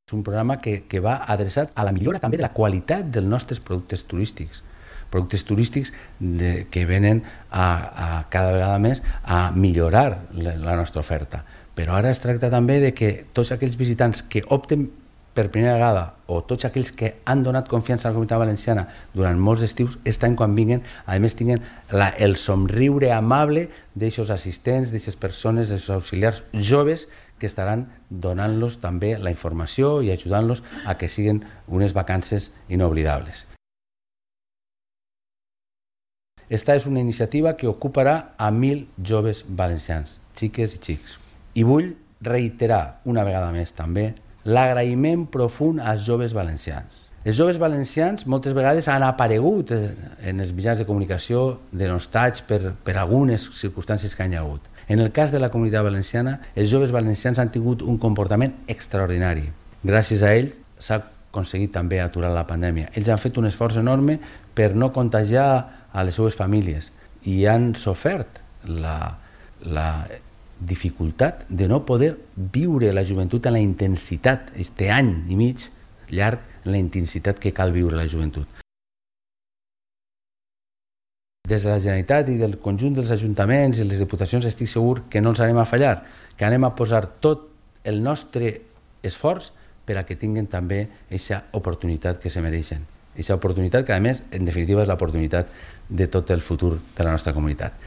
És un programa que va adreçat a la millora també de la qualitat dels nostres productes turístics que venen cada vegada més a millorar la nostra oferta. Però ara es tracta també de que tots aquells visitants que opten per primera vegada o tots aquells que han donat confiança a la Comunitat Valenciana durant molts estius, aquest any quan vinguin, a més tinguin el somriure amable d'aixos assistents, d'aixes persones, d'aixos auxiliars joves que estaran donant-los també la informació i ajudant-los a que siguin unes vacances inoblidables. Esta és una iniciativa que ocuparà a 1.000 joves valencians, xiques i xics. I vull reiterar una vegada més també l'agraïment profund als joves valencians. Els joves valencians moltes vegades han aparegut en els mitjans de comunicació denostats per algunes circumstàncies que hi ha hagut. En el cas de la Comunitat Valenciana, els joves valencians han tingut un comportament extraordinari. Gràcies a ells s'ha aconseguit també aturar la pandèmia. Ells han fet un esforç enorme per no contagiar a les seves famílies i han sofert la dificultat de no poder viure la joventut en la intensitat, aquest any i mig llarg, en la intensitat que cal viure la joventut. Des de la Generalitat i del conjunt dels ajuntaments i les diputacions estic segur que no ens anem a fallar, que anem a posar tot el nostre esforç per a que tinguin també aquesta oportunitat que se mereixen. Aquesta oportunitat que, a més, en definitiva, és l'oportunitat de tot el futur de la nostra comunitat.